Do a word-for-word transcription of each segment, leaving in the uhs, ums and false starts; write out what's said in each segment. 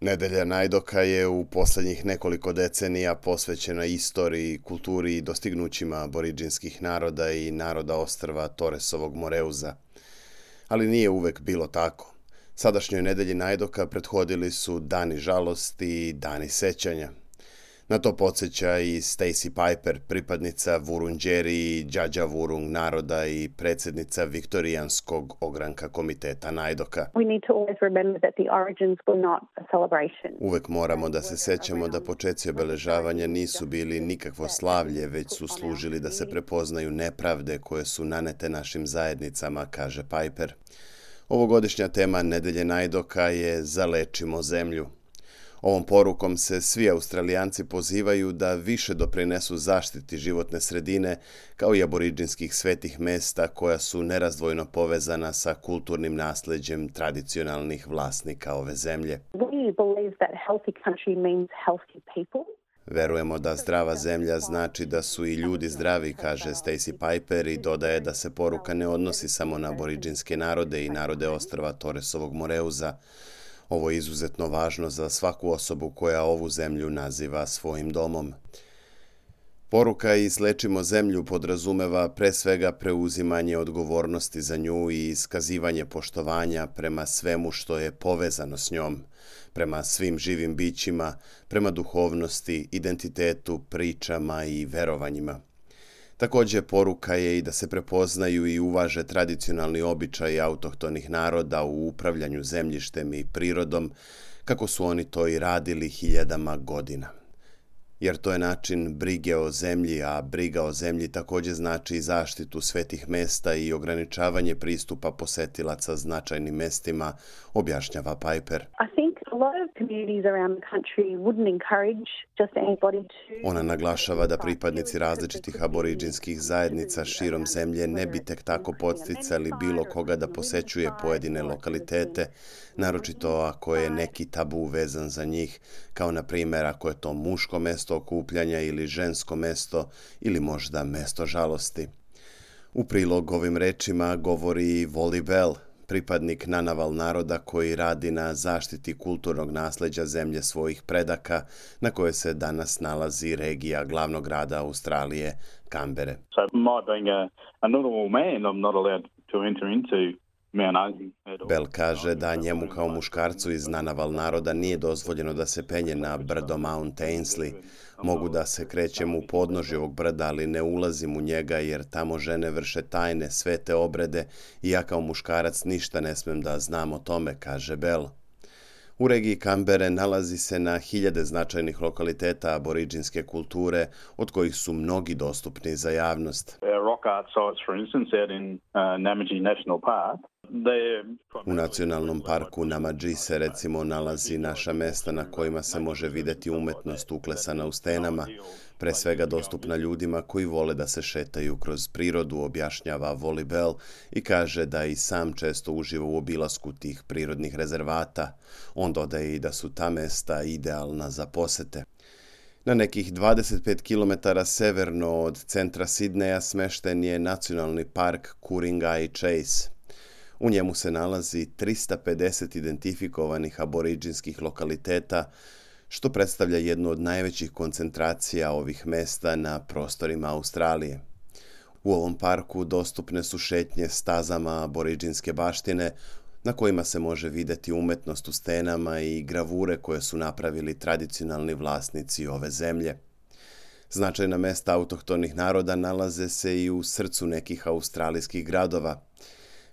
Nedelja Najdoka je u posljednjih nekoliko decenija posvećena istoriji, kulturi i dostignućima aboridžinskih naroda i naroda ostrva Torresovog Moreuza. Ali nije uvek bilo tako. Sadašnjoj Nedelji Najdoka prethodili su dani žalosti i dani sećanja. Na to podsjeća i Stacey Piper, pripadnica Wurundjeri i Djadja Wurrung naroda i predsjednica Viktorijanskog ogranka komiteta Najdoka. Uvek moramo da se sećamo da počeci obeležavanja nisu bili nikakvo slavlje, već su služili da se prepoznaju nepravde koje su nanete našim zajednicama, kaže Piper. Ovogodišnja tema Nedelje Najdoka je Zalečimo zemlju. Ovom porukom se svi Australijanci pozivaju da više doprinesu zaštiti životne sredine kao i aboridžinskih svetih mesta koja su nerazdvojno povezana sa kulturnim nasleđem tradicionalnih vlasnika ove zemlje. Verujemo da zdrava zemlja znači da su i ljudi zdravi, kaže Stacey Piper i dodaje da se poruka ne odnosi samo na aboridžinske narode i narode ostrva Torresovog Moreuza. Ovo je izuzetno važno za svaku osobu koja ovu zemlju naziva svojim domom. Poruka Izlečimo zemlju podrazumeva pre svega preuzimanje odgovornosti za nju i iskazivanje poštovanja prema svemu što je povezano s njom, prema svim živim bićima, prema duhovnosti, identitetu, pričama i verovanjima. Također poruka je i da se prepoznaju i uvaže tradicionalni običaji autohtonih naroda u upravljanju zemljištem i prirodom, kako su oni to i radili hiljadama godina. Jer to je način brige o zemlji, a briga o zemlji također znači i zaštitu svetih mesta i ograničavanje pristupa posetilaca značajnim mestima, objašnjava Piper. Ona naglašava da pripadnici različitih aboridžinskih zajednica širom zemlje ne bi tek tako podsticali bilo koga da posećuje pojedine lokalitete, naročito ako je neki tabu vezan za njih, kao na primjer ako je to muško mesto okupljanja ili žensko mesto ili možda mesto žalosti. U prilog ovim rečima govori i Wally Bell, pripadnik Nanaval naroda koji radi na zaštiti kulturnog nasleđa zemlje svojih predaka, na kojoj se danas nalazi regija glavnog grada Australije, Kambere. So my being a, a normal man, I'm not allowed to enter into Bell kaže da njemu kao muškarcu iz Nanaval naroda nije dozvoljeno da se penje na brdo Mount Ainslie. Mogu da se krećem u podnožje ovog brda, ali ne ulazim u njega jer tamo žene vrše tajne, svete obrede i ja kao muškarac ništa ne smem da znam o tome, kaže Bell. U regiji Kambere nalazi se na hiljade značajnih lokaliteta aboridžinske kulture, od kojih su mnogi dostupni za javnost. U nacionalnom parku Namadži se recimo nalazi naša mesta na kojima se može vidjeti umetnost uklesana u stenama, pre svega dostupna ljudima koji vole da se šetaju kroz prirodu, objašnjava Wally Bell i kaže da i sam često uživa u obilasku tih prirodnih rezervata. On dodaje i da su ta mesta idealna za posete. Na nekih dvadeset pet kilometara severno od centra Sidneja smešten je nacionalni park Ku-ring-gai Chase. U njemu se nalazi trista pedeset identifikovanih aboridžinskih lokaliteta, što predstavlja jednu od najvećih koncentracija ovih mesta na prostorima Australije. U ovom parku dostupne su šetnje stazama aboridžinske baštine, na kojima se može vidjeti umetnost u stenama i gravure koje su napravili tradicionalni vlasnici ove zemlje. Značajna mesta autohtonih naroda nalaze se i u srcu nekih australijskih gradova.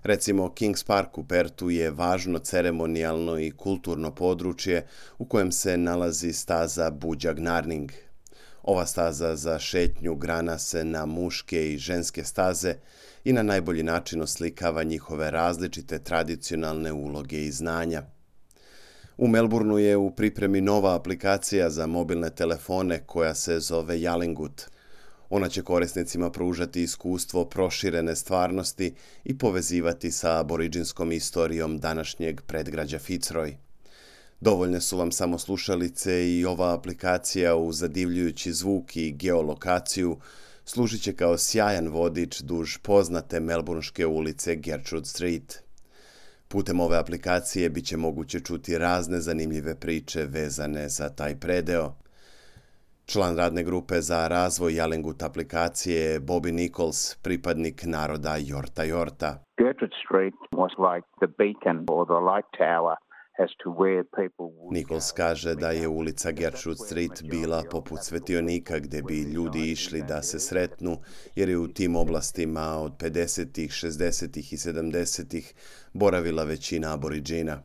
Recimo, Kings Park u Pertu je važno ceremonijalno i kulturno područje u kojem se nalazi staza Budjak Narning. Ova staza za šetnju grana se na muške i ženske staze i na najbolji način oslikava njihove različite tradicionalne uloge i znanja. U Melbourneu je u pripremi nova aplikacija za mobilne telefone koja se zove Yalingut. Ona će korisnicima pružati iskustvo proširene stvarnosti i povezivati sa aboridžinskom istorijom današnjeg predgrađa Fitzroy. Dovoljne su vam samo slušalice i ova aplikacija uz zadivljujući zvuk i geolokaciju služit će kao sjajan vodič duž poznate melbourneške ulice Gertrude Street. Putem ove aplikacije bit će moguće čuti razne zanimljive priče vezane za taj predeo. Član radne grupe za razvoj Yellowgut aplikacije je Bobby Nichols, pripadnik naroda Yorta Yorta. Gertrude Street was like the beacon or the light tower as to where people would Nichols kaže da je ulica Gertrude Street bila poput svetionika gdje bi ljudi išli da se sretnu, jer je u tim oblastima od pedesetih, šezdesetih i sedamdesetih boravila većina aboriđina.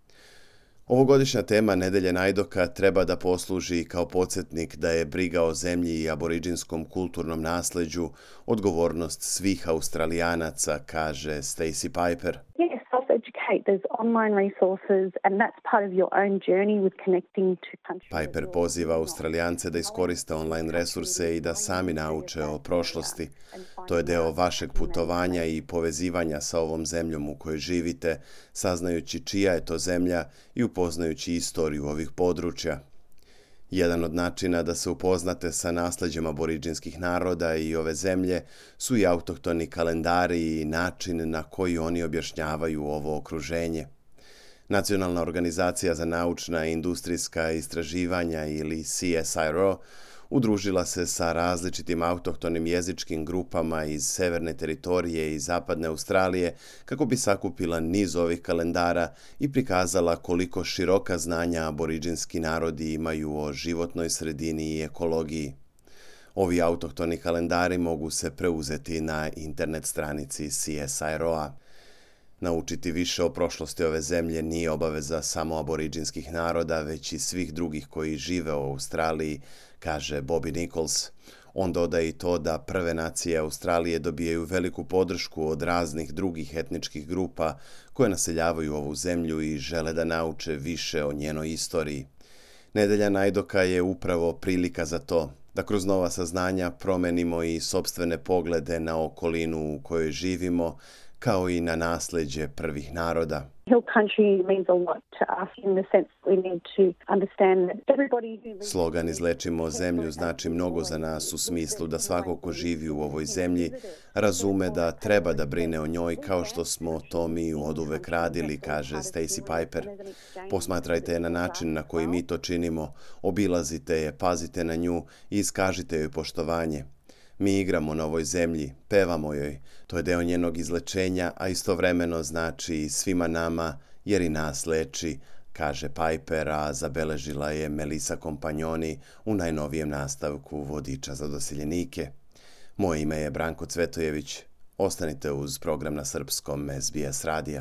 Ovogodišnja tema Nedelje Najdoka treba da posluži kao podsjetnik da je briga o zemlji i aboriđinskom kulturnom nasleđu odgovornost svih Australijanaca, kaže Stacey Piper. Yes, self-educate. There's online resources and that's part of your own journey with connecting to countries. Piper poziva Australijance da iskoriste online resurse i da sami nauče o prošlosti. To je deo vašeg putovanja i povezivanja sa ovom zemljom u kojoj živite, saznajući čija je to zemlja i upoznajući istoriju ovih područja. Jedan od načina da se upoznate sa nasleđem aboriđinskih naroda i ove zemlje su i autohtoni kalendari i način na koji oni objašnjavaju ovo okruženje. Nacionalna organizacija za naučna i industrijska istraživanja ili C S I R O udružila se sa različitim autohtonim jezičkim grupama iz severne teritorije i zapadne Australije kako bi sakupila niz ovih kalendara i prikazala koliko široka znanja aboriđinski narodi imaju o životnoj sredini i ekologiji. Ovi autohtoni kalendari mogu se preuzeti na internet stranici C S I R O-a. Naučiti više o prošlosti ove zemlje nije obaveza samo aboriđinskih naroda, već i svih drugih koji žive u Australiji, kaže Bobby Nichols. On dodaje i to da prve nacije Australije dobijaju veliku podršku od raznih drugih etničkih grupa koje naseljavaju ovu zemlju i žele da nauče više o njenoj istoriji. Nedelja Najdoka je upravo prilika za to, da kroz nova saznanja promenimo i sopstvene poglede na okolinu u kojoj živimo, kao i na nasleđe prvih naroda. Hill country means a lot to us in the sense that we need to understand that everybody who lives... Slogan Izlečimo zemlju znači mnogo za nas u smislu da svako ko živi u ovoj zemlji razume da treba da brine o njoj kao što smo to mi oduvek radili, kaže Stacey Piper. Posmatrajte je na način na koji mi to činimo, obilazite je, pazite na nju i iskažite joj poštovanje. Mi igramo na ovoj zemlji, pevamo joj, to je deo njenog izlečenja, a istovremeno znači i svima nama, jer i nas leči, kaže Piper, a zabeležila je Melissa Kompanjoni u najnovijem nastavku Vodiča za doseljenike. Moje ime je Branko Cvetojević. Ostanite uz program na srpskom S B S radija.